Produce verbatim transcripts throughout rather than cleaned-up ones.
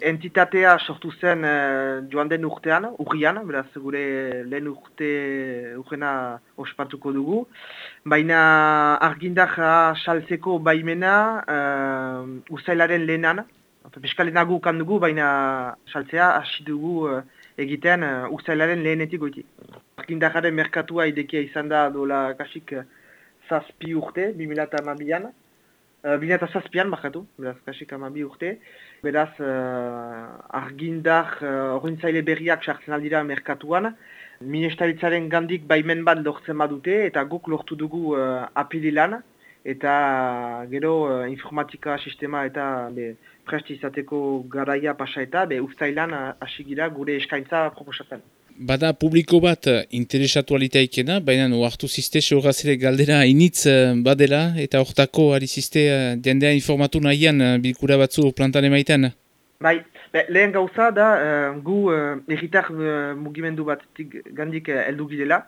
Entitatea sortu zen uh, joan den urtean, urrian, beraz gure lehen urte urrena ospatuko dugu. Baina argindarra saltzeko baimena uh, usailaren lehenan, peskalenagu kan dugu, baina saltzea hasi dugu uh, egiten uh, usailaren lehenetik goiti. Argindarraren merkatua idekia izan da dola kasik uh, zazpi urte, bi mila hamabian. Uh, Bina eta zazpian, bakatu, beraz, kasik amabi urte. Beraz, uh, argindar horrentzaile uh, berriak sartzen aldira merkatuan. Ministeritzaren gandik baimen bat lortzen badute, eta guk lortu dugu uh, apililan. Eta gero uh, informatika sistema eta be, prest izateko garaia pasa eta be, ustailan hasi gira gure eskaintza proposatzen. Bada publiko bat interesatu alitaikena, baina oartu ziste sehorazere galdera initz badela, eta hortako ari ziste jendea informatu nahian bilkura batzu plantan emaiten? Bai, be, lehen gauza da uh, gu uh, erritar uh, mugimendu bat gandik uh, heldu girela.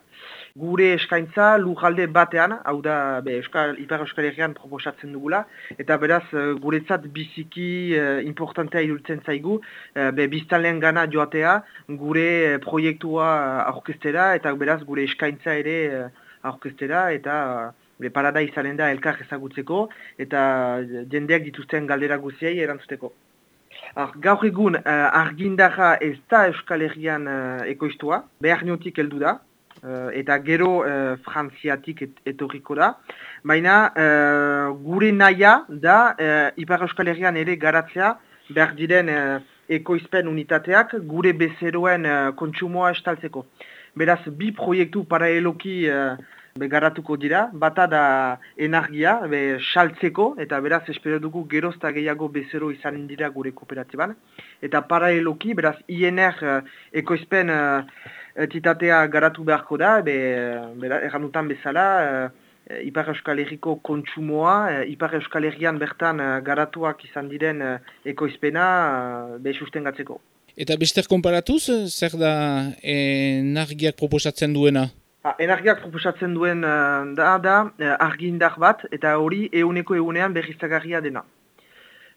Gure eskaintza lujalde batean, hau da be, Euskal, Ipar Euskal Herrian proposatzen dugula, eta beraz guretzat biziki uh, importantea iruditzen zaigu, uh, be, biztanleen gana joatea, gure proiektua aurkeztera, eta beraz gure eskaintza ere uh, aurkeztera, eta uh, parada izanen da elkar ezagutzeko, eta jendeak dituzten galdera guziei erantzuteko. Ar, gaur egun uh, argindarra ez da Euskal Herrian uh, ekoiztua, behar niotik heldu da, Uh, eta gero uh, frantziatik et, etorriko da. Baina uh, gure naia da uh, Ipar Euskal Herrian ere garatzea behar diren uh, ekoizpen unitateak gure bezeroen uh, kontsumoa estaltzeko. Beraz, bi proiektu paraleloki uh, garatuko dira, bata da energia, be, saltzeko, eta beraz espero dugu gerozta gehiago bezero izan dira gure kooperatiban. Eta paraleloki, beraz, I N R uh, ekoizpen uh, entitatea garatu beharko da, be, erranutan bezala, uh, Ipar Euskal Herriko kontsumoa, uh, Ipar Euskal Herrian bertan uh, garatuak izan diren uh, ekoizpena uh, be sustengatzeko. Eta bester konparatuz, zer da energiak proposatzen duena? Ha, energiak proposatzen duen uh, da, da uh, argindar bat, eta hori euneko eunean berriztagarria dena.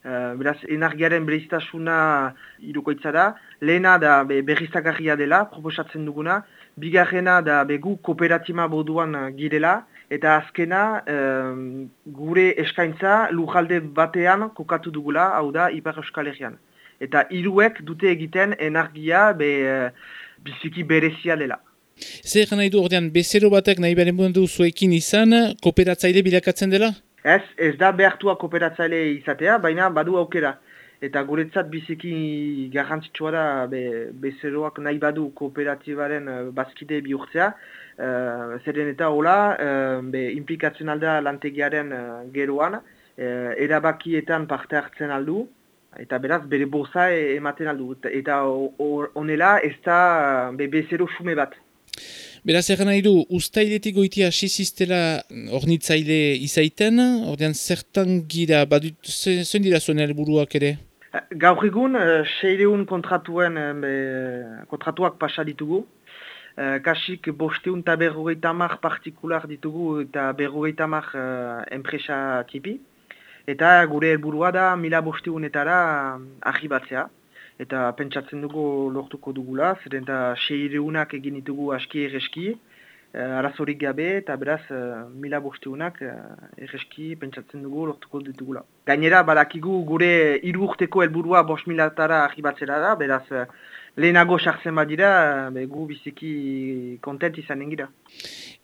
Uh, beraz, energiaren berriztasuna irukoitza da, lehena da be, berriztagarria dela, proposatzen duguna, bigarrena da begu kooperatiba moduan girela, eta azkena uh, gure eskaintza lujalde batean kokatu dugula, hau da Ipar Euskal Herrian. Eta hiruek dute egiten energia be, uh, biziki berezia dela. Zer nahi du ordean, bezero batek nahi beren du zuekin izan, kooperatzaile bilakatzen dela? Ez, ez da behartua kooperatzaile izatea, baina badu aukera. Eta guretzat biziki garrantzitsua da be, bezeroak nahi badu kooperatibaren uh, bazkide bihurtzea. Uh, zeren eta hola, uh, be, implikatzen alda lantegiaren uh, geroan, uh, erabakietan parte hartzen aldu, eta beraz bere boza ematen aldu. Eta honela ez da uh, be, bezero xume bat. Beraz, egan nahi du, ustailetik goitia asiziztela ornitzaile izaiten, ordean zertan gira, badut, zen dira zuen helburuak ere? Gaur egun, seireun kontratuen, kontratuak pasa ditugu. Kasik bosteun eta berrogeita hamar partikular ditugu eta berrogeita hamar enpresa tipi. Eta gure helburua da mila bosteunetara arribatzea. Eta pentsatzen dugu lortuko dugula, zeren eta seireunak egin ditugu aski erreski, uh, arazorik gabe, eta beraz uh, mila bosteunak uh, erreski pentsatzen dugu lortuko ditugula. Gainera, badakigu gure hiru urteko helburua bost milatara arribatzera da, beraz uh, lehenago sartzen badira, uh, gu biziki kontent izanen gira.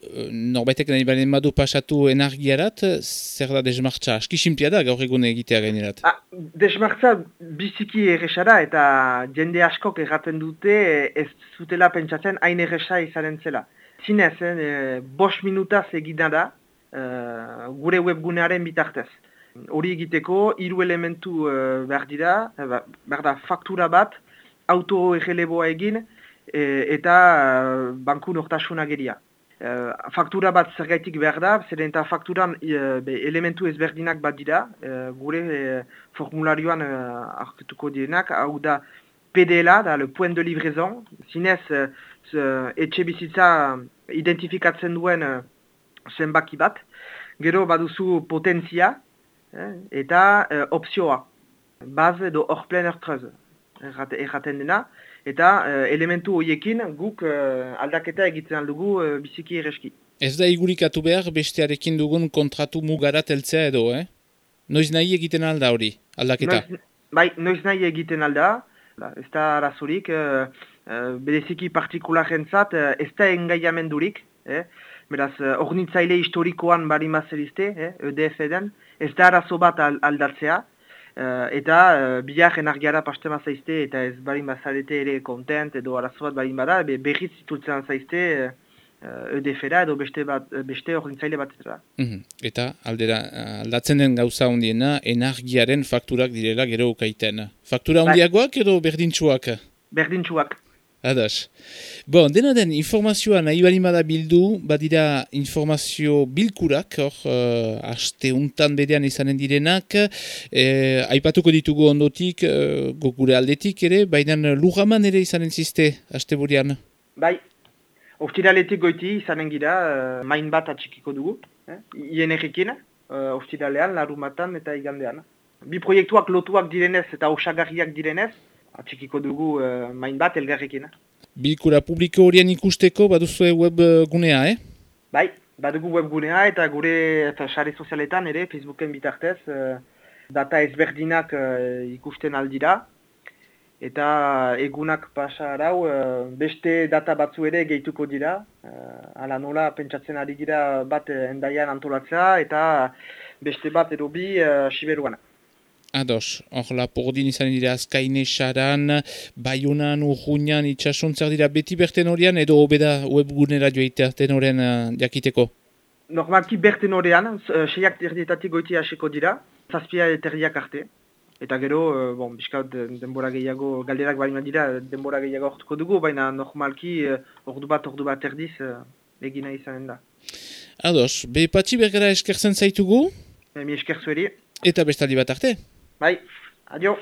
Norbaitek nahi balen badu pasatu energiarat, zer da desmartza? Aski simplia da gaur egun egitea gainerat. Ah, desmartza biziki erresa eta jende askok erraten dute ez zutela pentsatzen hain erresa izanen zela. Zinez, eh, bost minutaz egina da eh, gure webgunearen bitartez. Hori egiteko hiru elementu eh, behar dira, eh, behar da faktura bat, auto-erreleboa egin eh, eta eh, banku nortasuna geria. Uh, faktura bat zergaitik behar da, zeren eta fakturan uh, be, elementu ezberdinak bat dira, uh, gure uh, formularioan uh, arketuko direnak, hau da P D L A, da le point de livraison, zinez uh, etxe bizitza identifikatzen duen uh, zenbaki bat, gero baduzu potentzia eh, eta uh, opzioa, baz edo hor plen ertrez. erraten dena, eta uh, elementu horiekin guk uh, aldaketa egiten dugu uh, biziki erreski. Ez da igurikatu behar bestearekin dugun kontratu mugarat heltzea edo, eh? Noiz nahi egiten alda hori, aldaketa? Noiz, bai, noiz nahi egiten alda, ez da arazurik, uh, uh, bereziki partikularrentzat uh, ez da engaiamendurik, eh? Beraz, ornitzaile historikoan bari mazerizte, eh? E D F den, ez da arazo bat aldatzea, uh, eta uh, bilar energiara pastema zaizte, eta ez barin bazarete ere kontent, edo arazo bat barin bada, be, berriz zitultzen zaizte, uh, E D F-era edo beste, bat, beste ornitzaile bat eta. Mm-hmm. Eta aldera, aldatzen den gauza hondiena, energiaren fakturak direla gero ukaiten. Faktura hondiagoak edo berdintxuak? Berdintxuak. Adas. Bon, dena den, informazioa nahi bali bada bildu, badira informazio bilkurak, hor, uh, aste untan berean izanen direnak, eh, aipatuko ditugu ondotik, uh, gure aldetik ere, baina lugaman ere izanen ziste, aste burian. Bai. Ostiraletik goiti izanen gira, uh, main bat atxikiko dugu, eh? Ien errekin, uh, ostiralean, larumatan eta igandean. Bi proiektuak lotuak direnez eta osagarriak direnez, atxikiko dugu uh, main bat elgarrekin. Bilkura publiko horien ikusteko baduzue web gunea, eh? Bai, badugu web gunea eta gure eta sare sozialetan ere, Facebooken bitartez, uh, data ezberdinak uh, ikusten aldira. Eta egunak pasa arau, beste data batzu ere gehituko dira. Hala nola pentsatzen ari gira bat endaian antolatzea eta beste bat edo bi uh, Siberuan. Ados, hor Lapordin izan dira Azkaine, Saran, Baionan, Urruñan, itxasontzer dira beti berten horian edo hobeda webgunera joitea tenoren uh, jakiteko? Normalki berten horian, uh, seiak terdietatik goiti hasiko dira, zazpia terdiak arte. Eta gero, bon, bizkaut denbora gehiago, galderak baina dira, denbora gehiago ortuko dugu, baina normalki ordu bat, ordu bat erdiz egina izanen da. Ados, be patxi bergara eskertzen zaitugu? Mi esker zueri. Eta bestaldi bat arte? Bai, adio.